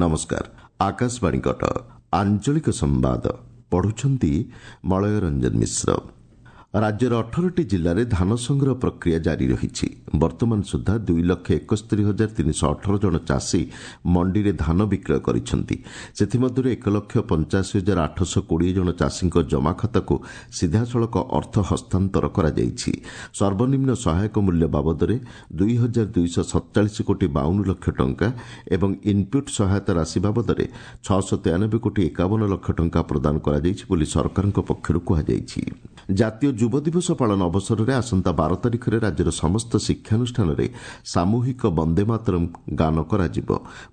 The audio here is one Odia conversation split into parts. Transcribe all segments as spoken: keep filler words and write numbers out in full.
ନମସ୍କାର, ଆକାଶବାଣୀ କଟକ, ଆଞ୍ଚଳିକ ସମ୍ବାଦ ପଢୁଛନ୍ତି ମଳୟ ରଞ୍ଜନ ମିଶ୍ର। ରାଜ୍ୟର ଅଠରଟି ଜିଲ୍ଲାରେ ଧାନ ସଂଗ୍ରହ ପ୍ରକ୍ରିୟା ଜାରି ରହିଛି। ବର୍ତ୍ତମାନ ସୁଦ୍ଧା ଦୁଇ ଲକ୍ଷ ଏକସ୍ତରୀ ହଜାର ତିନିଶହ ଅଠର ଜଣ ଚାଷୀ ମଣ୍ଡିରେ ଧାନ ବିକ୍ରୟ କରିଛନ୍ତି। ସେଥିମଧ୍ୟରୁ ଏକ ଲକ୍ଷ ପଞ୍ଚାଅଶୀ ହଜାର ଆଠଶହ କୋଡ଼ିଏ ଜଣ ଚାଷୀଙ୍କ ଜମାଖାତାକୁ ସିଧାସଳଖ ଅର୍ଥ ହସ୍ତାନ୍ତର କରାଯାଇଛି। ସର୍ବନିମ୍ନ ସହାୟକ ମୂଲ୍ୟ ବାବଦରେ ଦୁଇ ହଜାର ଦୁଇଶହ ସତଚାଳିଶ କୋଟି ବାଉନ ଲକ୍ଷ ଟଙ୍କା ଏବଂ ଇନ୍ପୁଟ୍ ସହାୟତା ରାଶି ବାବଦରେ ଛଅଶହ ତେୟାନବେ କୋଟି ଏକାବନ ଲକ୍ଷ ଟଙ୍କା ପ୍ରଦାନ କରାଯାଇଛି ବୋଲି ସରକାରଙ୍କ ପକ୍ଷରୁ କୁହାଯାଇଛି। ଜାତୀୟ ଯୁବ ଦିବସ ପାଳନ ଅବସରରେ ଆସନ୍ତା ବାର ତାରିଖରେ ରାଜ୍ୟର ସମସ୍ତ ଶିକ୍ଷାନୁଷ୍ଠାନରେ ସାମୂହିକ ବନ୍ଦେ ମାତରମ୍ ଗାନ କରାଯିବ।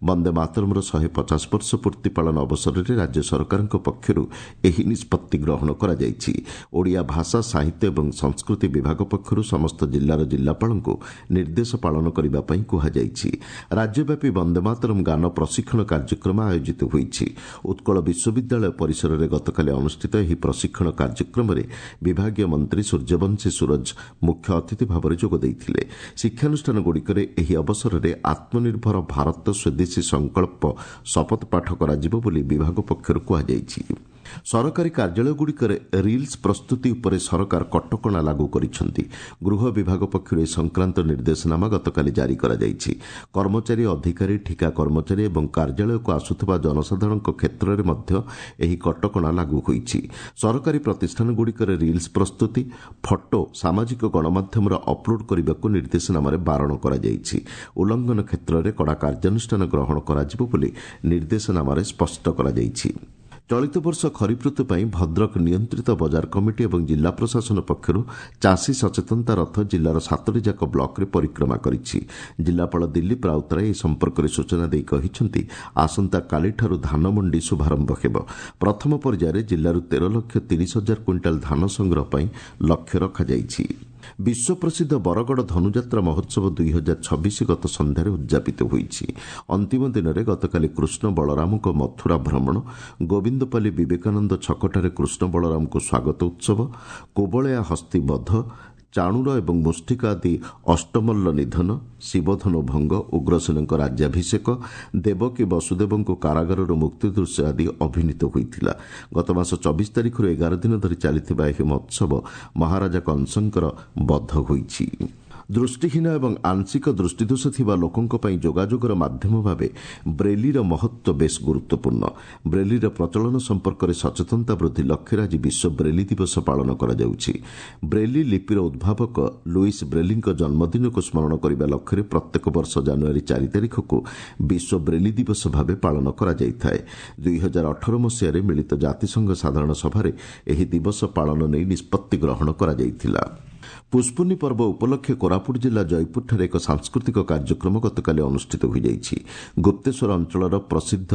ବନ୍ଦେ ମାତରମ୍ର ଶହେ ପଚାଶ ବର୍ଷ ପୂର୍ତ୍ତି ପାଳନ ଅବସରରେ ରାଜ୍ୟ ସରକାରଙ୍କ ପକ୍ଷରୁ ଏହି ନିଷ୍ପତ୍ତି ଗ୍ରହଣ କରାଯାଇଛି। ଓଡ଼ିଆ ଭାଷା, ସାହିତ୍ୟ ଏବଂ ସଂସ୍କୃତି ବିଭାଗ ପକ୍ଷରୁ ସମସ୍ତ ଜିଲ୍ଲାର ଜିଲ୍ଲାପାଳଙ୍କୁ ନିର୍ଦ୍ଦେଶ ପାଳନ କରିବା ପାଇଁ କୁହାଯାଇଛି। ରାଜ୍ୟବ୍ୟାପୀ ବନ୍ଦେ ମାତରମ୍ ଗାନ ପ୍ରଶିକ୍ଷଣ କାର୍ଯ୍ୟକ୍ରମ ଆୟୋଜିତ ହୋଇଛି। ଉତ୍କଳ ବିଶ୍ୱବିଦ୍ୟାଳୟ ପରିସରରେ ଗତକାଲି ଅନୁଷ୍ଠିତ ଏହି ପ୍ରଶିକ୍ଷଣ କାର୍ଯ୍ୟକ୍ରମରେ ବିଭାଗୀୟ ମନ୍ତ୍ରୀ ସୂର୍ଯ୍ୟବଂଶୀ ସୂରଜ ମୁଖ୍ୟ ଅତିଥି ଭାବରେ ଯୋଗ ଦେଇଥିଲେ। ଶିକ୍ଷାନୁଷ୍ଠାନଗୁଡ଼ିକରେ ଏହି ଅବସରରେ ଆତ୍ମନିର୍ଭର ଭାରତ ସ୍ୱଦେଶୀ ସଂକଳ୍ପ ଶପଥ ପାଠ କରାଯିବ ବୋଲି ବିଭାଗ ପକ୍ଷରୁ କୁହାଯାଇଛି। ସରକାରୀ କାର୍ଯ୍ୟାଳୟଗୁଡ଼ିକରେ ରିଲ୍ସ ପ୍ରସ୍ତୁତି ଉପରେ ସରକାର କଟକଣା ଲାଗୁ କରିଛନ୍ତି। ଗୃହ ବିଭାଗ ପକ୍ଷରୁ ଏ ସଂକ୍ରାନ୍ତ ନିର୍ଦ୍ଦେଶନାମା ଗତକାଲି ଜାରି କରାଯାଇଛି। କର୍ମଚାରୀ, ଅଧିକାରୀ, ଠିକା କର୍ମଚାରୀ ଏବଂ କାର୍ଯ୍ୟାଳୟକୁ ଆସୁଥିବା ଜନସାଧାରଣଙ୍କ କ୍ଷେତ୍ରରେ ମଧ୍ୟ ଏହି କଟକଣା ଲାଗୁ ହୋଇଛି। ସରକାରୀ ପ୍ରତିଷ୍ଠାନଗୁଡ଼ିକରେ ରିଲ୍ସ ପ୍ରସ୍ତୁତି, ଫଟୋ ସାମାଜିକ ଗଣମାଧ୍ୟମରେ ଅପଲୋଡ୍ କରିବାକୁ ନିର୍ଦ୍ଦେଶନାମାରେ ବାରଣ କରାଯାଇଛି। ଉଲ୍ଲଂଘନ କ୍ଷେତ୍ରରେ କଡ଼ା କାର୍ଯ୍ୟାନୁଷ୍ଠାନ ଗ୍ରହଣ କରାଯିବ ବୋଲି ନିର୍ଦ୍ଦେଶନାମାରେ ସ୍ପଷ୍ଟ କରାଯାଇଛି। ଚଳିତ ବର୍ଷ ଖରିଫ ଋତୁ ପାଇଁ ଭଦ୍ରକ ନିୟନ୍ତ୍ରିତ ବଜାର କମିଟି ଏବଂ ଜିଲ୍ଲା ପ୍ରଶାସନ ପକ୍ଷରୁ ଚାଷୀ ସଚେତନତା ରଥ ଜିଲ୍ଲାର ସାତଟି ଯାକ ବ୍ଲକରେ ପରିକ୍ରମା କରିଛି। ଜିଲ୍ଲାପାଳ ଦିଲ୍ଲୀପ ରାଉତରାୟ ଏ ସମ୍ପର୍କରେ ସୂଚନା ଦେଇ କହିଛନ୍ତି, ଆସନ୍ତାକାଲିଠାରୁ ଧାନ ମଣ୍ଡି ଶୁଭାରମ୍ଭ ହେବ। ପ୍ରଥମ ପର୍ଯ୍ୟାୟରେ ଜିଲ୍ଲାରୁ ତେର ଲକ୍ଷ ତିରିଶ ହଜାର କୁଇଣ୍ଟାଲ ଧାନ ସଂଗ୍ରହ ପାଇଁ ଲକ୍ଷ୍ୟ ରଖାଯାଇଛି। ବିଶ୍ୱପ୍ରସିଦ୍ଧ ବରଗଡ଼ ଧନୁଯାତ୍ରା ମହୋତ୍ସବ ଦୁଇ ହଜାର ଛବିଶ ଗତ ସନ୍ଧ୍ୟାରେ ଉଦ୍ଯାପିତ ହୋଇଛି। ଅନ୍ତିମ ଦିନରେ ଗତକାଲି କୃଷ୍ଣ ବଳରାମଙ୍କ ମଥୁରା ଭ୍ରମଣ, ଗୋବିନ୍ଦପାଲି ବିବେକାନନ୍ଦ ଛକଠାରେ କୃଷ୍ଣ ବଳରାମଙ୍କୁ ସ୍ୱାଗତ ଉତ୍ସବ, କୋବଳୟା ହସ୍ତୀ ବଧ, ଚାଣୁର ଏବଂ ମୁଷ୍ଟିକ ଆଦି ଅଷ୍ଟମଲ୍ଲ ନିଧନ, ଶିବଧନୁ ଭଙ୍ଗ, ଉଗ୍ରସେନଙ୍କ ରାଜ୍ୟାଭିଷେକ, ଦେବକୀ ବସୁଦେବଙ୍କୁ କାରାଗାରରୁ ମୁକ୍ତି ଦୃଶ୍ୟ ଆଦି ଅଭିନୀତ ହୋଇଥିଲା। ଗତମାସ ଚବିଶ ତାରିଖରୁ ଏଗାର ଦିନ ଧରି ଚାଲିଥିବା ଏହି ମହୋତ୍ସବ ମହାରାଜା କଂସଙ୍କର ବଧ ହୋଇଛି। ଦୃଷ୍ଟିହୀନ ଏବଂ ଆଂଶିକ ଦୃଷ୍ଟିଦୋଷ ଥିବା ଲୋକଙ୍କ ପାଇଁ ଯୋଗାଯୋଗର ମାଧ୍ୟମ ଭାବେ ବ୍ରେଲିର ମହତ୍ତ୍ୱ ବେଶ୍ ଗୁରୁତ୍ୱପୂର୍ଣ୍ଣ। ବ୍ରେଲିର ପ୍ରଚଳନ ସମ୍ପର୍କରେ ସଚେତନତା ବୃଦ୍ଧି ଲକ୍ଷ୍ୟରେ ଆଜି ବିଶ୍ୱ ବ୍ରେଲି ଦିବସ ପାଳନ କରାଯାଉଛି। ବ୍ରେଲି ଲିପିର ଉଦ୍ଭାବକ ଲୁଇସ୍ ବ୍ରେଲିଙ୍କ ଜନ୍ମଦିନକୁ ସ୍ମରଣ କରିବା ଲକ୍ଷ୍ୟରେ ପ୍ରତ୍ୟେକ ବର୍ଷ ଜାନୁଆରୀ ଚାରି ତାରିଖକୁ ବିଶ୍ୱ ବ୍ରେଲି ଦିବସ ଭାବେ ପାଳନ କରାଯାଇଥାଏ। ଦୁଇ ହଜାର ଅଠର ମସିହାରେ ମିଳିତ ଜାତିସଂଘ ସାଧାରଣ ସଭାରେ ଏହି ଦିବସ ପାଳନ ନେଇ ନିଷ୍ପତ୍ତି ଗ୍ରହଣ କରାଯାଇଥିଲା। ପୁଷ୍ପୁନି ପର୍ବ ଉପଲକ୍ଷେ କୋରାପୁଟ ଜିଲ୍ଲା ଜୟପୁରଠାରେ ଏକ ସାଂସ୍କୃତିକ କାର୍ଯ୍ୟକ୍ରମ ଗତକାଲି ଅନୁଷ୍ଠିତ ହୋଇଯାଇଛି। ଗୁପ୍ତେଶ୍ୱର ଅଞ୍ଚଳର ପ୍ରସିଦ୍ଧ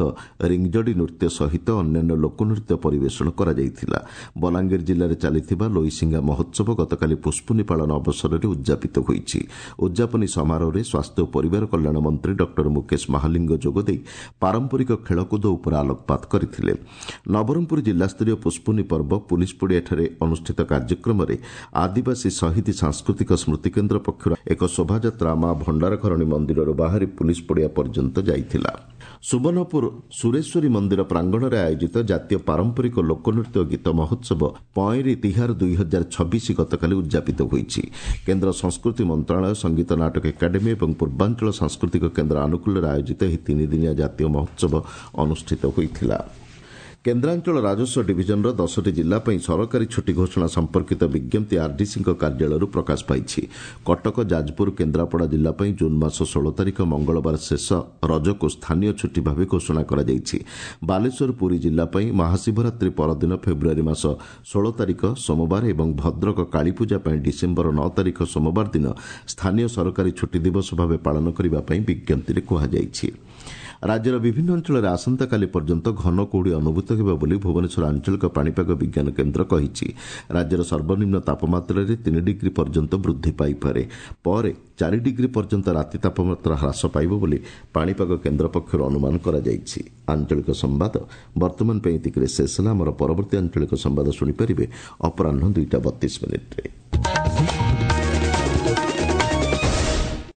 ରିଙ୍ଗଜଡ଼ି ନୃତ୍ୟ ସହିତ ଅନ୍ୟାନ୍ୟ ଲୋକନୃତ୍ୟ ପରିବେଷଣ କରାଯାଇଥିଲା। ବଲାଙ୍ଗୀର ଜିଲ୍ଲାରେ ଚାଲିଥିବା ଲୋଇସିଙ୍ଗା ମହୋତ୍ସବ ଗତକାଲି ପୁଷ୍ପୁନି ପାଳନ ଅବସରରେ ଉଦ୍ଯାପିତ ହୋଇଛି। ଉଦ୍ଯାପନୀ ସମାରୋହରେ ସ୍ୱାସ୍ଥ୍ୟ ଓ ପରିବାର କଲ୍ୟାଣ ମନ୍ତ୍ରୀ ଡକ୍ଟର ମୁକେଶ ମହାଲିଙ୍ଗ ଯୋଗଦେଇ ପାରମ୍ପରିକ ଖେଳକୁଦ ଉପରେ ଆଲୋକପାତ କରିଥିଲେ। ନବରଙ୍ଗପୁର ଜିଲ୍ଲାସ୍ତରୀୟ ପୁଷ୍ପୁନି ପର୍ବ ପୁଲିସ ପଡ଼ିଆଠାରେ ଅନୁଷ୍ଠିତ କାର୍ଯ୍ୟକ୍ରମରେ ଆଦିବାସୀ ଶହୀଦ ସାଂସ୍କୃତିକ ସ୍ମୃତିକେନ୍ଦ୍ର ପକ୍ଷରୁ ଏକ ଶୋଭାଯାତ୍ରା ମା ଭଣ୍ଡାରଘରଣୀ ମନ୍ଦିରରୁ ବାହାରି ପୁଲିସ ପଡ଼ିଆ ପର୍ଯ୍ୟନ୍ତ ଯାଇଥିଲା। ସୁବର୍ଣ୍ଣପୁର ସୁରେଶ୍ୱରୀ ମନ୍ଦିର ପ୍ରାଙ୍ଗଣରେ ଆୟୋଜିତ ଜାତୀୟ ପାରମ୍ପରିକ ଲୋକନୃତ୍ୟ ଗୀତ ମହୋତ୍ସବ ପଏଁରି ତିହାର ଦୁଇ ହଜାର ଛବିଶ ଗତକାଲି ଉଦ୍ଯାପିତ ହୋଇଛି। କେନ୍ଦ୍ର ସଂସ୍କୃତି ମନ୍ତ୍ରଣାଳୟ, ସଙ୍ଗୀତ ନାଟକ ଏକାଡେମୀ ଏବଂ ପୂର୍ବାଞ୍ଚଳ ସାଂସ୍କୃତିକ କେନ୍ଦ୍ର ଆନୁକୂଲ୍ୟରେ ଆୟୋଜିତ ଏହି ତିନିଦିନିଆ ଜାତୀୟ ମହୋତ୍ସବ ଅନୁଷ୍ଠିତ ହୋଇଥିଲା। କେନ୍ଦ୍ରାଞ୍ଚଳ ରାଜସ୍ୱ ଡିଭିଜନର ଦଶଟି ଜିଲ୍ଲା ପାଇଁ ସରକାରୀ ଛୁଟି ଘୋଷଣା ସମ୍ପର୍କିତ ବିଜ୍ଞପ୍ତି ଆର୍ଡିସିଙ୍କ କାର୍ଯ୍ୟାଳୟରୁ ପ୍ରକାଶ ପାଇଛି। କଟକ, ଯାଜପୁର, କେନ୍ଦ୍ରାପଡ଼ା ଜିଲ୍ଲା ପାଇଁ ଜୁନ୍ ମାସ ଷୋହଳ ତାରିଖ ମଙ୍ଗଳବାର ଶେଷ ରଜକୁ ସ୍ଥାନୀୟ ଛୁଟି ଭାବେ ଘୋଷଣା କରାଯାଇଛି। ବାଲେଶ୍ୱର, ପୁରୀ ଜିଲ୍ଲା ପାଇଁ ମହାଶିବରାତ୍ରି ପରଦିନ ଫେବୃଆରୀ ମାସ ଷୋହଳ ତାରିଖ ସୋମବାର ଏବଂ ଭଦ୍ରକ କାଳୀପୂଜା ପାଇଁ ଡିସେମ୍ବର ନଅ ତାରିଖ ସୋମବାର ଦିନ ସ୍ଥାନୀୟ ସରକାରୀ ଛୁଟି ଦିବସ ଭାବେ ପାଳନ କରିବା ପାଇଁ ବିଜ୍ଞପ୍ତିରେ କୁହାଯାଇଛି। ରାଜ୍ୟର ବିଭିନ୍ନ ଅଞ୍ଚଳରେ ଆସନ୍ତାକାଲି ପର୍ଯ୍ୟନ୍ତ ଘନ କୁହୁଡ଼ି ଅନୁଭୂତ ହେବ ବୋଲି ଭୁବନେଶ୍ୱର ଆଞ୍ଚଳିକ ପାଣିପାଗ ବିଜ୍ଞାନ କେନ୍ଦ୍ର କହିଛି। ରାଜ୍ୟର ସର୍ବନିମ୍ନ ତାପମାତ୍ରାରେ ତିନି ଡିଗ୍ରୀ ପର୍ଯ୍ୟନ୍ତ ବୃଦ୍ଧି ପାଇପାରେ। ପରେ ଚାରି ଡିଗ୍ରୀ ପର୍ଯ୍ୟନ୍ତ ରାତି ତାପମାତ୍ରା ହ୍ରାସ ପାଇବ ବୋଲି ପାଣିପାଗ କେନ୍ଦ୍ର ପକ୍ଷରୁ ଅନୁମାନ କରାଯାଇଛି। ଆଞ୍ଚଳିକ ସମ୍ବାଦ ବର୍ତ୍ତମାନ ପାଇଁ ଏତିକିରେ ଶେଷ ହେଲା। ଆମର ପରବର୍ତ୍ତୀ ଆଞ୍ଚଳିକ ସମ୍ବାଦ ଶୁଣିପାରିବେ ଅପରାହ୍ନ ଦୁଇଟା ବତିଶ ମିନିଟ୍ରେ।